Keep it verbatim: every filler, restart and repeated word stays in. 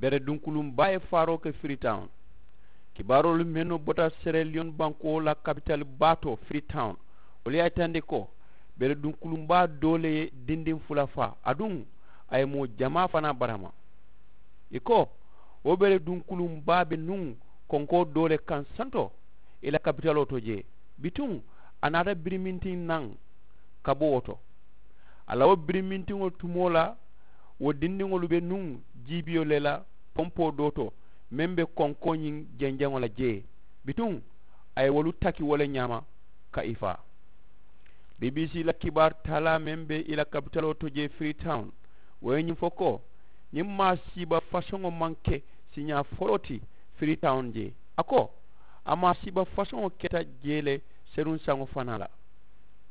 Bere dunkuluŋ baa ye faaroo ke firitawun. Kibaaroolu mennu bota sereliyoŋ bankoo la kapitali baa to firitawun, wolu ye a yitandi ko bere dunkuluŋ baa doo le ye dindiŋ fula faa aduŋ a ye moo jamaa fanaa barama. Ì ko wo bere dunkuluŋ baa be nuŋ konkoo doo le kaŋ santo ì la kapitaloo to jee. Bituŋ a naata birimintiŋ naŋ ka bo wo to. A la wo birimintiŋo tumoo la wo dindiŋolu be nuŋ jiibiyo le la pompoo doo to meŋ be konkoo ñiŋ jenjeŋo la jee. Bituŋ a ye wolu taki wo le ñaama ka ì faa. Bbc la kibaari taalaa meŋ be ì la kapitaloo to jee firitawun, wo ye ñiŋ fo ko ñiŋ maasiiba fasoŋo maŋ ke siiñaa foloo ti firitawun jee. A ko a maasiiba fasoŋo keta jee le seruŋ saŋo fanaa la.